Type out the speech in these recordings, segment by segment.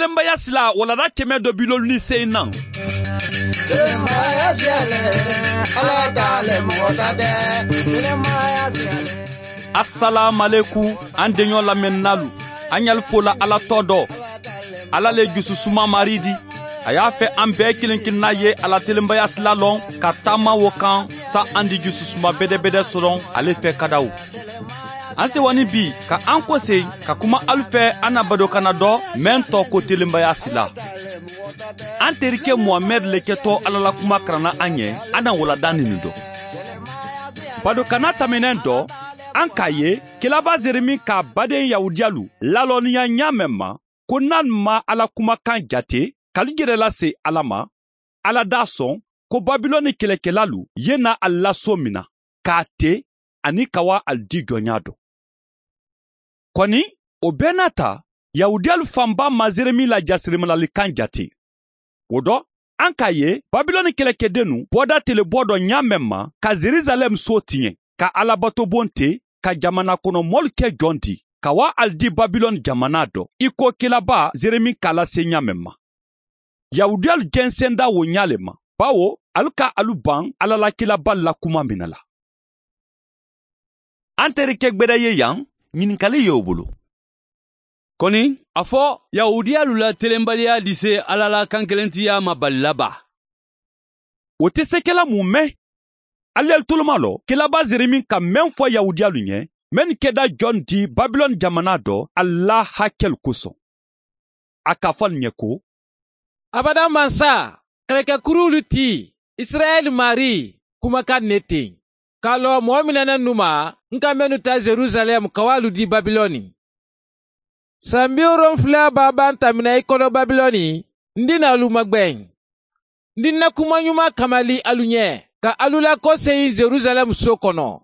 Telenbaya sila walada 158 nan. Telenbaya siyale, Ala t'ale mɔgɔ ta tɛ. Telenbaya siyale. Asalaamaleku an denɲɔ lamɛnnalu, an y'alu fola Ala tɔ dɔ. Ala le jususuma mari di. A y'a fɛ an bɛɛ kelen kelenna ye ala telenbaya sila lɔn ka taama wo kan sa an di jususuma bɛdɛbɛdɛ sɔrɔ ale fɛ kadaw. An sewani bi ka an kɔsen ka kuma alu fɛ an na badokana dɔ mɛn tɔ ko telenbaya sila. An terikɛ Muhamɛd le kɛtɔ Ala la kuma karanna an ɲɛ an na walada nin dɔ. Badokana tɛmɛnɛn dɔ, an k'a ye kelaba Zeremi k'a baden Yahudiyalu lalɔnniya ɲa mɛn ma ko n'an ma Ala kumakan jate k'alu yɛrɛ lase Ala ma, Ala d'a sɔn ko Babilɔni kɛlɛkɛlalu ye na a laso min na k'a te ani ka wa al di jɔnya dɔ. Kɔni o bɛɛ n'a ta, Yahudiyalu fanba ma Zeremi la jasirimalalikan jate. O dɔ, an k'a ye Babilɔni kɛlɛkɛdennu bɔda telebɔ dɔ ɲa mɛn ma ka Jerusalɛm so tiɲɛ, ka alabatobon te, ka jamana kɔnɔ mɔlu kɛ jɔn di, ka wa al di Babilɔni jamana dɔ, i ko kelaba Zeremi k'a lase ɲa mɛn ma. Yahudiyalu jɛnsɛnda wo ɲa le ma, bawo alu ka alu ban Ala la kelaba la kuma minɛ la. An terikɛ gbɛdɛ ye yan, ɲininkali y'o bolo. Kɔni, a fɔ Yahudiyalu la telenbaliya di se Ala la kankelentiya ma balila ba. O tɛ se kɛla mun mɛn? Aliyali toloma lɔ, kelaba Zeremi ka mɛn fɔ Yahudiyalu ɲɛ, mɛn kɛda jɔn di Babilɔni jamana dɔ, Ala hakɛlu kosɔn. A k'a fɔ nin ɲɛ ko, Abada mansa, kɛlɛkɛkurulu ti, Israɛl mari, kumakan ne ten. K'a lɔ mɔgɔ minɛnen nu ma, n ka mɛnnu ta Jerusalɛm ka w'alu di Babilɔni. San 70 b'a ban tamina i kɔnɔ Babilɔni, n dina alu magbɛn. N dina kuma ɲuman kamali alu ɲɛ, ka alu lakɔseyin Jerusalɛm so kɔnɔ.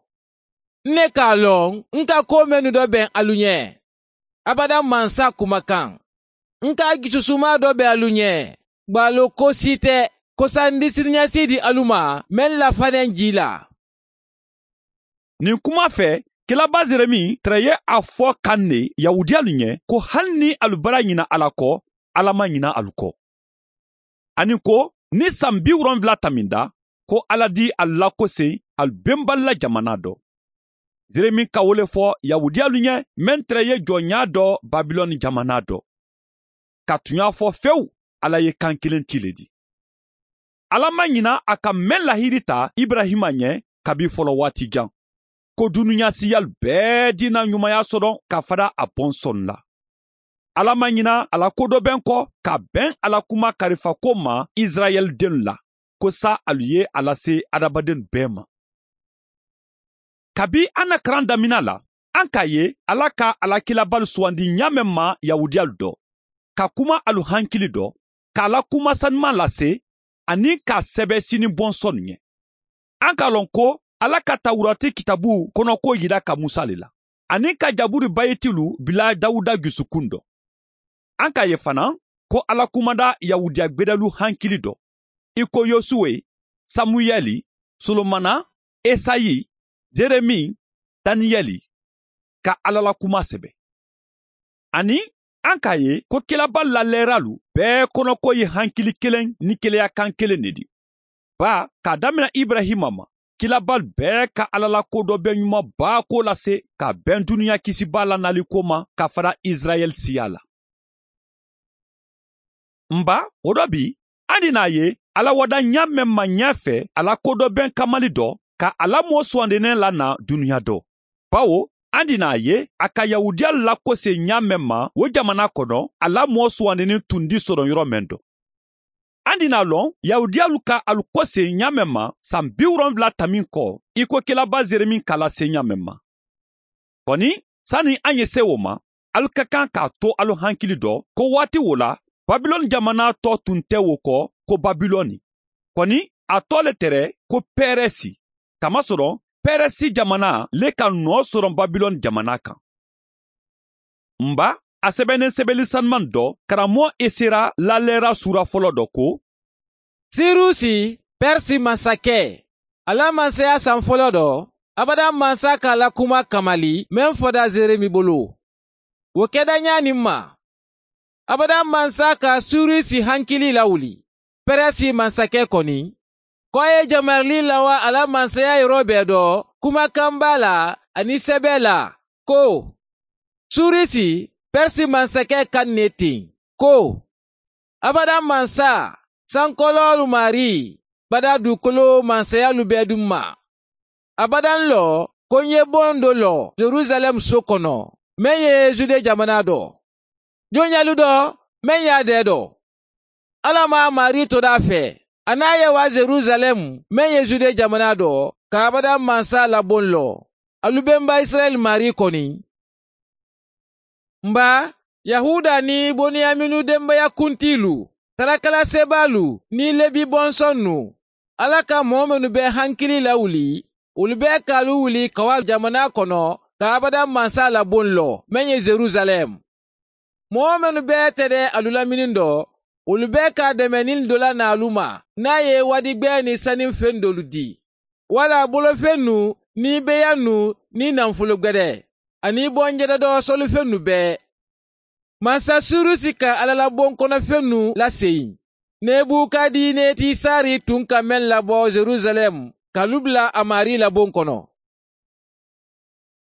Ne k'a lɔn, n ka ko mɛnnu dɔ bɛn alu ɲɛ. Abada mansa kumakan. N ka jususuma dɔ bɛn alu ɲɛ. Gbalo ko si tɛ, ko sa n di siniɲɛsigi di alu ma, mɛn lafanen ji la. Nin kuma fɛ, kelaba Zeremi tɛrɛ ye a fɔ kan ne Yahudiyalu ɲɛ ko hali ni alu bara ɲina Ala kɔ, Ala ma ɲina alu kɔ. Ani ko ni san 70 taminda, ko Ala di alu lakosen alu benbali la jamana dɔ. Zeremi ka wo le fɔ Yahudiyalu ɲɛ mɛn tɛrɛ ye jɔnya dɔ Babilɔni jamana dɔ. Ka tunya fɔ fewu, Ala ye kan kelen ti le di. Ala ma ɲina a ka mɛn lahiri ta Ibrahima ɲɛ kabi fɔlɔ waati jan. Ko dunuya siyalu bɛɛ dina ɲumanya sɔrɔ ka fara a bɔnsɔn la. Ala ma ɲina a la kodɔbɛn kɔ ka bɛn ala kuma karifako ma Israɛl denw la, ko sa alu ye a lase adamaden bɛɛ ma. Kabi an na karan damina la, an k'a ye Ala ka alakilabali sugandi ɲa mɛn ma Yahudiyalu dɔ, ka kuma alu hankili dɔ, k'a la kuma sanuman lase ani k'a sɛbɛ sini bɔnsɔn ɲɛ. An k'a lɔn ko Ala ka Tawurati kitabu kɔnɔko yira ka Musa le la, ani ka Jaburi bayitilu bila Dawuda jusukun dɔ. An k'a ye fana ko Ala kumada Yahudiya gbɛdɛlu hankili dɔ, i ko Yosuwe, Samuyɛli, Solomana, Esayi, Zeremi, Daniyɛli, ka Ala la kuma sɛbɛ. Ani an k'a ye ko kelaba lalɛralu bɛɛ kɔnɔko ye hankili kelen ni keleya kan kelen de di. Ba k'a damina Ibrahima ma, kelaba bɛɛ ka Ala la ko dɔ bɛ ɲuman ba ko lase ka bɛn dunuya kisiba la nali ko ma ka fara Israɛl siya la. Nba o dɔ bi, an di n'a ye Ala wada ɲa mɛn ma ɲɛ fɛ ala ko dɔ bɛn kamali dɔ ka ala mɔ sugandinen la na dunuya dɔ. Bawo an di n'a ye a ka Yahudiya lakose ɲa mɛn ma o jamana kɔnɔ ala mɔ sugandenen tun di sɔrɔ yɔrɔ mɛn dɔ. An di n'a lɔn Yahudiyalu ka alu kɔse ɲa mɛn ma san 70 tamin kɔ i ko kelaba Zeremi k'a lase ɲa mɛn ma. Kɔni sani an ye se o ma, alu ka kan k'a to alu hankili dɔ ko waati wo la Babilɔni jamana tɔ tun tɛ wo kɔ ko Babilɔni. Kɔni a tɔ le tɛrɛ ko Pɛrɛsi. Kamasɔrɔ Pɛrɛsi jamana le ka nɔ sɔrɔ Babilɔni jamana kan. Nba a sɛbɛnnen sɛbɛnni sanuman dɔ karamɔgɔ Esera lalɛra sura fɔlɔ dɔ ko Sirusi, Pɛrisi masakɛ, ala masaya san fɔlɔ dɔ, abada mansa k'a la kuma kamali mɛn fɔda Zeremi bolo. O kɛda ɲa nin ma. Abada mansa ka Surisi hankili lawuli. Pɛrɛsi mansakɛ kɔni. Ko a ye jamarili lawa a la mansaya yɔrɔ bɛɛ dɔ, kumakan b'a la ani sɛbɛ la, ko Surisi, Pɛrisi mansakɛ ka ne ten, ko abada mansa, sankɔlɔlu mari, bada dugukolo mansayalu bɛɛ dun ma. Abadan lɔ, ko n ye bon dɔ lɔ Jerusalɛm so kɔnɔ, mɛn ye Jude jamana dɔ. Jɔnyalu dɔ, mɛn y'a dɛ dɔ. Ala ma mari to d'a fɛ. A n'a ye wa Jerusalɛm, mɛn ye Jude jamana dɔ, ka abada mansa labon lɔ. Alu bɛnba Israɛl mari kɔni. Nba, Yahuda ni Boniyaminu denbaya kuntilu, sarakalasebalu ni Lebi bɔnsɔnnu, Ala ka mɔɔ minnu bɛ hankili lawuli, olu bɛɛ k'alu wuli ka wa jamana kɔnɔ ka abada mansa labon lɔ, mɛn ye Jerusalɛm. Mɔɔ minnu bɛɛ tɛ dɛ alu lamini dɔ, olu bɛɛ ka dɛmɛni dɔ la n'alu ma, n'a ye wadigbɛ ni sanifɛn dɔlu di. Wala bolofɛn nu, ni beya nu, ni nafolo gbɛdɛ, ani bɔnjɛdɛ dɔ sɔlifɛn nu bɛɛ. Mansa Surusi ka alalabon kɔnɔfɛn nu lasegin. Nebukadinetsari tun ka mɛn labɔ Jerusalɛm k'alu bila a mari labon kɔnɔ.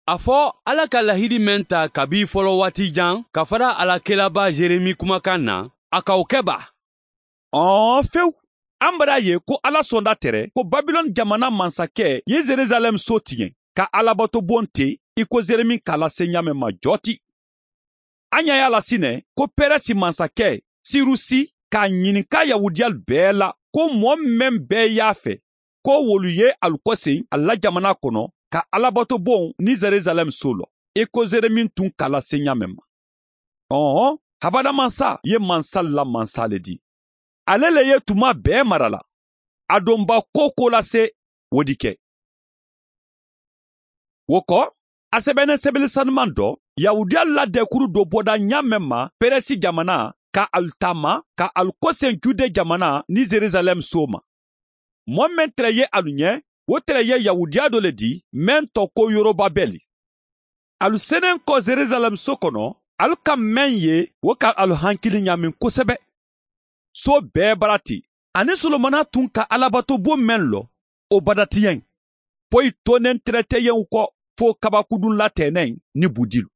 A fɔ Ala ka lahidi mɛn ta kabi fɔlɔ waati jan ka fara a la kelaba Jeremi kumakan na, a k'o kɛ ba. Ɔn fewu. An bara ye ko Ala sɔnda tɛrɛ ko Babilɔn jamana mansakɛ ye Jerusalɛm so tiɲɛ ka alabato bon ten i ko Jeremi k'a lase ɲa mɛn ma jɔti. An y'a y'a la sinɛ ko Pɛrɛsi mansakɛ Sirusi k'a ɲininka Yahudiyalu bɛɛ la ko mɔɔ mɛn bɛɛ y'a fɛ ko wolu ye alu kɔsen a la jamana kɔnɔ ka alabato bon ni Jerusalɛm so lɔ i ko Jeremi tun k'a lase ɲa mɛn ma. Ɔhɔn, habada mansa ye mansa la mansa le di. Ale le ye tuma bɛɛ mara la. A donba ko ko lase o di kɛ. O kɔ, a sɛbɛnnen sɛbɛnni sanuman dɔ, Yahudiya la dɛkuru dɔ bɔda ɲa mɛn ma Pɛrɛsi jamana ka alu taama ka alu kɔsen Jude jamana ni Jerusalɛm so ma. Mɔɔ mɛn tɛrɛ ye alu ɲɛ, o tɛrɛ ye Yahudiya dɔ le di, mɛn tɔ ko Yorobabɛli. Alu senen kɔ Jerusalɛm so kɔnɔ, alu ka mɛn ye, o ka alu hankili ɲamin kosɛbɛ. So bɛɛ bara ten, ani Solomana tun ka alabato bon mɛn lɔ, o bada tiɲɛ. Foyi tonen tɛrɛ tɛ yen kɔ fo kabakudun latɛnɛ ni budilu.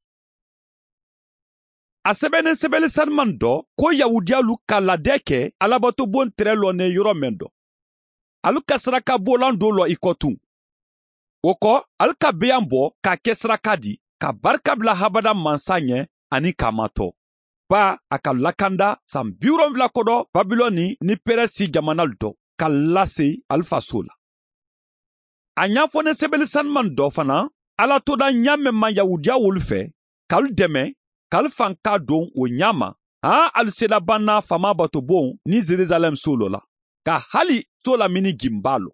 A sɛbɛnnen sɛbɛnni sanuman dɔ ko Yahudiyalu ka ladɛ kɛ alabato bon tɛrɛ lɔnen yɔrɔ mɛn dɔ. Alu ka saraka bolan dɔ lɔ i kɔ tun. O kɔ, alu ka beyan bɔ k'a kɛ saraka di, ka barika bila habada mansa ɲɛ ani k'a matɔ. Ba a ka lakanda san 70 kɔdɔ Babilɔni ni Pɛrɛsi jamanalu dɔ ka lase alu faso la. A ɲɛfɔnen sɛbɛnni sanuman dɔ fana, Ala toda ɲa mɛn ma Yahudiya wolu fɛ, k'alu dɛmɛ, k'alu fanka don o ɲa ma, han alu sela banna fama bato bon ni Jerusalɛm so lɔ la, ka hali so lamini ginba lɔ.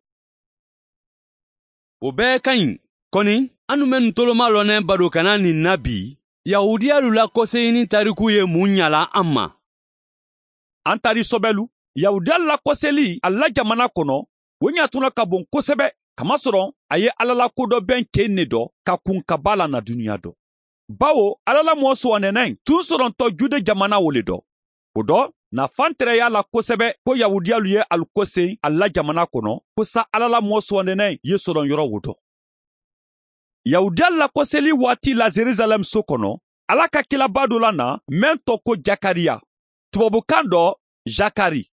O bɛɛ ka ɲi. Kɔni, anu mɛn toloma lɔnɛ bado kana nin na bi, Yahudiyalu la kɔseyini tariku ye mun ɲala an ma? An tari sɔbɛlu, Yahudiyalu la kɔseli a la jamana kɔnɔ, o ɲatuna ka bon kosɛbɛ, kamasɔrɔ a ye Ala la kodɔbɛn ken ne dɔ ka kun ka ba la na duniya dɔ. Bawo Ala la mɔɔ sɔwandɛnɛ tun sɔrɔntɔ Jude jamana wo le dɔ. O dɔ, nafan tɛrɛ y'a la kosɛbɛ ko Yahudiyalu ye alu kɔsen a la jamana kɔnɔ, ko sa Ala la mɔɔ sɔwandɛnɛ ye sɔrɔ yɔrɔ wo dɔ. Yahudiyalu la kɔseli waati la Jerusalɛm so kɔnɔ, Ala ka kilaba dɔ la na mɛn tɔ ko Jakariya. Tubabukan dɔ Jakari.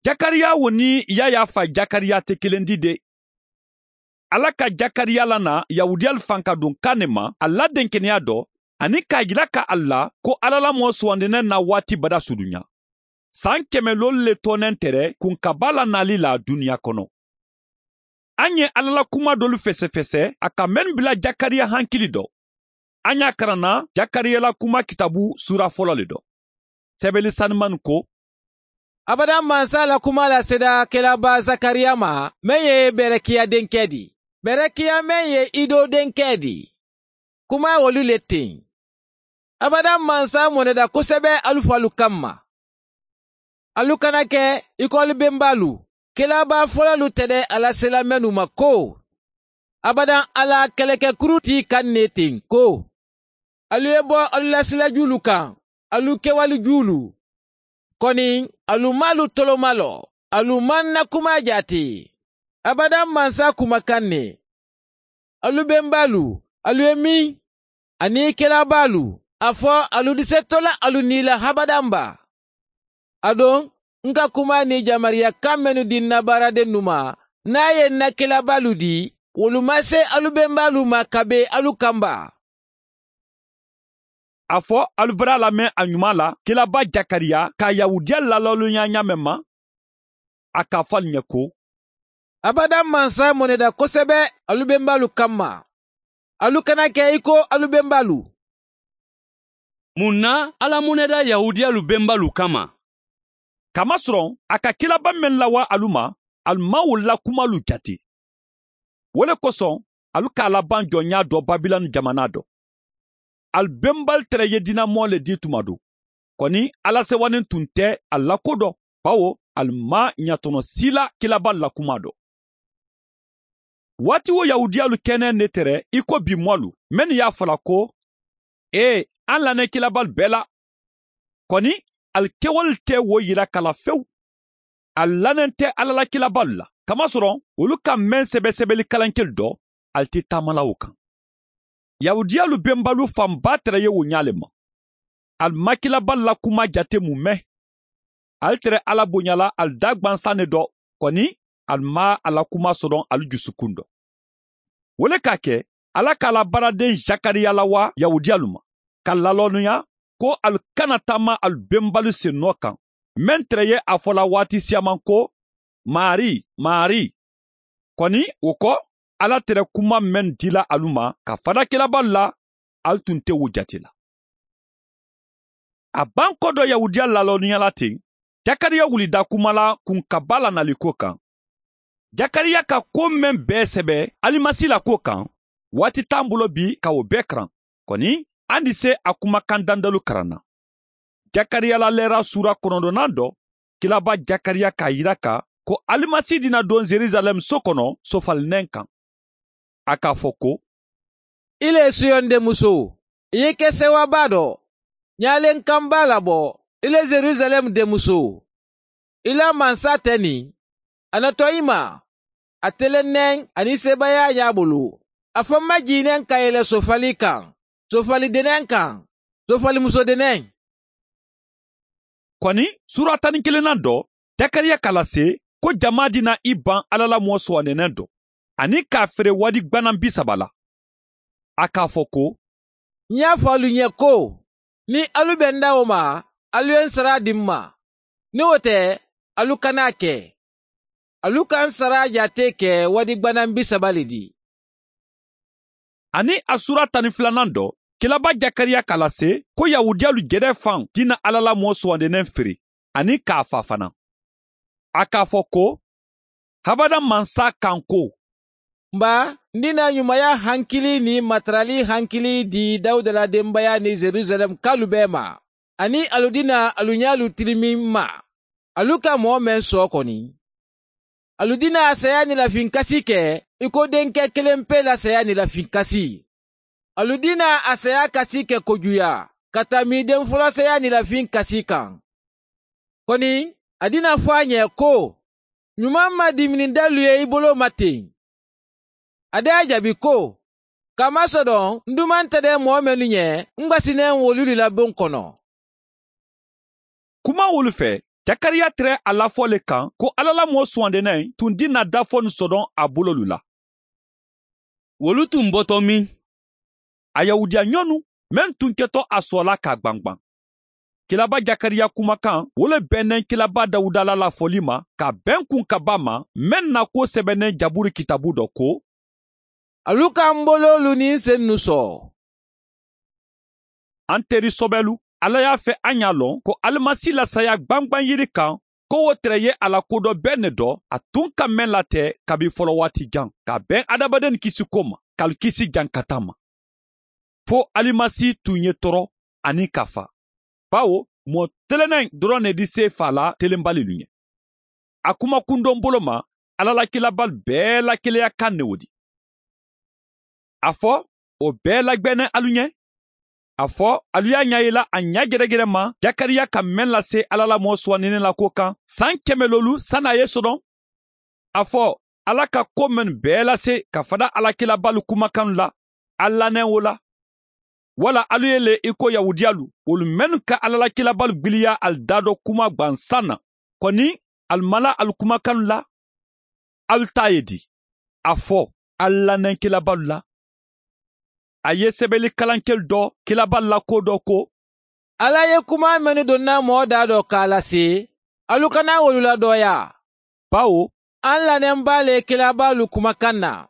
Jakariya wo ni Yaya fa Jakariya tɛ kelen di de. Ala ka Jakariya la na Yahudiyalu fan ka don kan ne ma a la denkɛnɛya dɔ ani k'a jira ka a la ko Ala la mɔɔ sugandinɛ na waati bada surunya. San kɛmɛ lolu le tɔnɛn tɛrɛ kun ka ba la nali la duniya kɔnɔ. An ye Ala la kuma dɔlu fɛsɛfɛsɛ a ka mɛn bila Jakariya hankili dɔ. An y'a karanna Jakariya la kuma kitabu sura fɔlɔ le dɔ. Sɛbɛnni sanuman ko Abada mansa la kuma la seda kelaba Zakariya ma, mɛn ye Bɛrɛkiya denkɛ di. Bɛrɛkiya mɛn ye Ido denkɛ di. Kuma wolu le ten. Abada mansa mɔnɛda kosɛbɛ alu falu kama. Alu kana kɛ i ko alu bɛnbalu. Kelaba fɔlɔlu tɛ dɛ ala sela mɛnu ma ko. Abadan ala kɛlɛkɛkuru t'i kan ne ten ko. Alu ye bɔ alu la silajulu kan. alu kɛwale juulu. Kɔni alu m'alu tolomalɔ, alu ma n na kuma jate. Abada mansa kumakan ne. Alu benbalu, alu ye min, ani kelabalu, a fɔ alu di se tola alu ni la habadanba. A don, n ka kuma ni jamariya kan minnu di n na baaraden nu ma, n'a ye n na kelabalu di, wolu ma se alu benbalu ma ka be alu kanba. A fɔ alu bara lamɛn a ɲuman la kelaba Jakariya ka Yahudiya lalɔlunya ɲa mɛn ma, a k'a fɔ alu ɲɛ ko abada mansa mɔnɛda kosɛbɛ alu benbalu kanma. Alu kana kɛ i ko alu benbalu. Mun na Ala mɔnɛda Yahudiyalu benbalu kama? Kamasɔrɔ a ka kelaba mɛn lawa alu ma, alu ma o la kumalu jate. O le kosɔn alu k'a laban jɔnya dɔ Babilɔni jamana dɔ. Alu benbali tɛrɛ ye dinamɔ le di tuma do. Kɔni Ala sewanin tun tɛ a la ko dɔ, bawo alu ma ɲatɔnɔ si la kelaba la kuma dɔ. Waati wo Yahudiyalu kɛnɛ ne tɛrɛ i ko bi mɔlu, mɛnnu y'a fɔla ko, ee, an lanɛ kelabalu bɛɛ la. Kɔni alu kɛwale tɛ wo yira kala fewu. A lanen tɛ Ala la kelabalu la. Kamasɔrɔ olu ka mɛn sɛbɛsɛbɛli kalankeli dɔ, ali tɛ taamala o kan. Yahudiyalu benbalu fanba tɛrɛ ye o ɲa le ma. Ali ma kelabalu la kuma jate mun mɛn. Ali tɛrɛ Ala bonyala ali da gwansan ne dɔ, kɔni ali ma a la kuma sɔrɔ ali dusukun dɔ. O le k'a kɛ Ala k'a la baaraden Jakariya lawa Yahudiyalu ma, ka lalɔnniya ko alu kana taama alu benbalu sennɔ kan. Mɛn tɛrɛ ye a fɔla waati siyaman ko Mari, Mari. Kɔni o kɔ Ala tɛrɛ kuma mɛn dila alu ma ka fada kelabalu la, alu tun tɛ o jate la. A ban kɔ dɔ Yahudiya lalɔnniya la ten, Jakariya wulida kuma la kunkaba lanali ko kan. Jakariya ka ko mɛn bɛɛ sɛbɛ Alimasi la ko kan, waati t'an bolo bi ka o bɛɛ karan. Kɔni an di se a kumakan dandalu karan na. Jakariya la lɛra sura 9nan dɔ, kelaba Jakariya k'a yira ka ko Alimasi dina don Jerusalɛm so kɔnɔ sofalinɛ kan. A k'a fɔ ko, ile Siyon denmuso, i ye kɛ sewaba dɔ, ɲalen kan b'a labɔ, ile Jerusalɛm denmuso. I la mansa tɛ nin, a natɔ i ma, a telennɛn ani sebaaya y'a bolo. A fɔ majiginɛn ka yɛlɛ sofali kan, sofalidenɛn kan, sofalimusodenɛn. Kɔni sura 11nan dɔ, Jakariya k'a lase ko jama dina i ban Ala la mɔɔ sɔɔnɛnɛ dɔ, ani k'a feere wadi gbanan 30 la. A k'a fɔ ko, n y'a fɔ alu ɲɛ ko, ni alu bɛ n da o ma, alu ye n sara di n ma. Ni o tɛ, alu kan'a kɛ. Alu ka n sara jate kɛ wadi gbanan 30 le di. Ani a sura 12nan dɔ, kelaba Jakariya k'a lase ko Yahudiyalu jɛrɛ fan dina Ala la mɔɔ sɔɔnɛnɛ feere, ani k'a fa fana. A k'a fɔ ko, habada mansa kan ko, nba n dina ɲumanya hankili ni matarali hankili di Dawuda la denbaya ni Jerusalɛm kalu bɛɛ ma, ani alu dina alu ɲalu tilimin ma, alu ka mɔɔ mɛn sɔ kɔni. Alu dina saya ni lafin kasi kɛ i ko denkɛ kelen pe la saya ni lafin kasi. Alu dina a saya kasi kɛ kojuya ka tami den fɔlɔ saya ni lafin kasi kan. Kɔni a dina fɔ a ɲɛ ko ɲuman ma dimini dalu ye i bolo ma ten. A da y'a jaabi ko kamasɔrɔ n duman tɛ dɛ mɔgɔ minnu ɲɛ, n gasinnen wolu de la bon kɔnɔ. Kuma wolu fɛ, Jakariya tɛrɛ a lafɔ le kan ko Ala la mɔɔ sɔɔndɛnɛ tun dina dafɔ ni sɔdɔn a bololu la. Wolu tun bɔtɔ min? A Yahudiya ɲɔnu mɛn tun kɛtɔ a sɔla k'a gbangban. Kelaba Jakariya kumakan wo le bɛnnen kelaba Dawuda la lafɔli ma ka bɛn kun kaba ma mɛn na ko sɛbɛnnen Jaburu kitabu dɔ ko, alu k'an bololu ni n sen nu sɔɔ. An teri sɔbɛlu, Ala y'a fɛ an y'a lɔn ko Alimasi la saya gbangban yiri kan ko o tɛrɛ ye a la kodɔ bɛɛ ne dɔ, a tun ka mɛn latɛ kabi fɔlɔ waati jan, ka bɛn adamaden kisi ko ma, k'alu kisi jankata ma. Fo Alimasi tun ye tɔɔrɔ ani ka fa. Bawo mɔɔ telenen dɔrɔn ne di se fa la telenbali lu ɲɛ. A kuma kundon bolo ma, Ala la kelabali bɛɛ la keleya kan ne o di. A fɔ o bɛɛ lagbɛnɛ alu ɲɛ. A fɔ alu y'a ɲa yela a ɲa gɛrɛgɛrɛ ma Jakariya ka mɛn lase Ala la mɔɔ suwanninen la ko kan san 100 lolu san'a ye sɔdɔn. A fɔ Ala ka ko mɛn bɛɛ lase ka fada Alakilabalu kumakan la, a lanɛ o la. Wala alu ye le i ko Yahudiyalu, olu mɛnnu ka Ala la kilabalu gbiliya al da dɔ kuma gwansan na. Kɔni al mala al kumakan la, alu ta ye di. A fɔ al lanɛ kilabalu la. A ye sɛbɛnni kalankɛli dɔ kilabalu la ko dɔ ko. Ala ye kuma mɛnnu donna mɔɔ da dɔ k'a lase, alu kana wolu ladɔya. Bawo an lanɛnba le kilabalu kumakan na.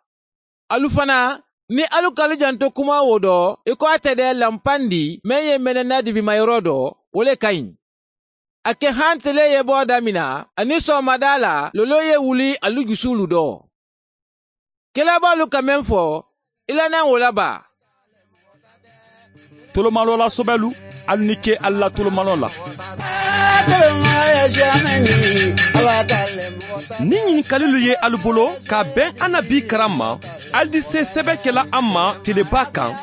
Alu fana ni alu kalu janto kuma wo dɔ, i ko a tɛ dɛ lanpandi mɛn ye mɛnɛ dibimayɔrɔ dɔ, o le ka ɲi. A kɛ han tele ye bɔ damina, ani sɔgɔmada la lolo ye wuli alu jusulu dɔ. Kilabalu ka mɛn fɔ, i lanɛ o la ba. Tolomalɔ la sɔbɛlu, alu ni ke alu la tolomalɔ la. Ni ɲininkalilu ye alu bolo ka bɛn an na bi karan ma, alu di se sɛbɛ kɛla an ma teleba kan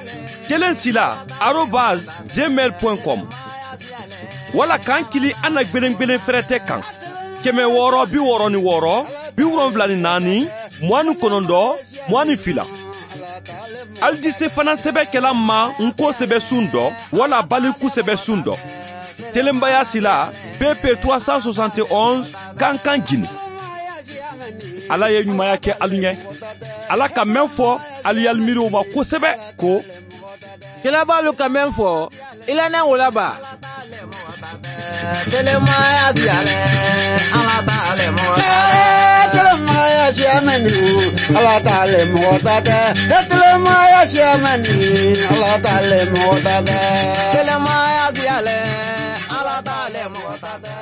1sila@gmail.com wala k'an kili an na gbelengbelen fɛrɛtɛ kan 666 74 29 22. Alu di se fana sɛbɛ kɛla ma nko sɛbɛ sun dɔ wala baliku sɛbɛ sun dɔ. Telenbaya sila BP 371 Kankan Guinée. Ala ye ɲumanya kɛ alu ɲɛ. Ala ka mɛn fɔ alu y'alu miiri o ma kosɛbɛ ko kilabalu ka mɛn fɔ, i lanɛ o la ba. Telemaya siyalɛ, Ala t'ale mɔgɔ ta tɛ. Telemaya siyamɛni, Ala t'ale mɔgɔ ta tɛ. Telemaya siyamɛni, Ala t'ale mɔgɔ ta tɛ. Telemaya siyalɛ, Ala t'ale mɔgɔ ta tɛ.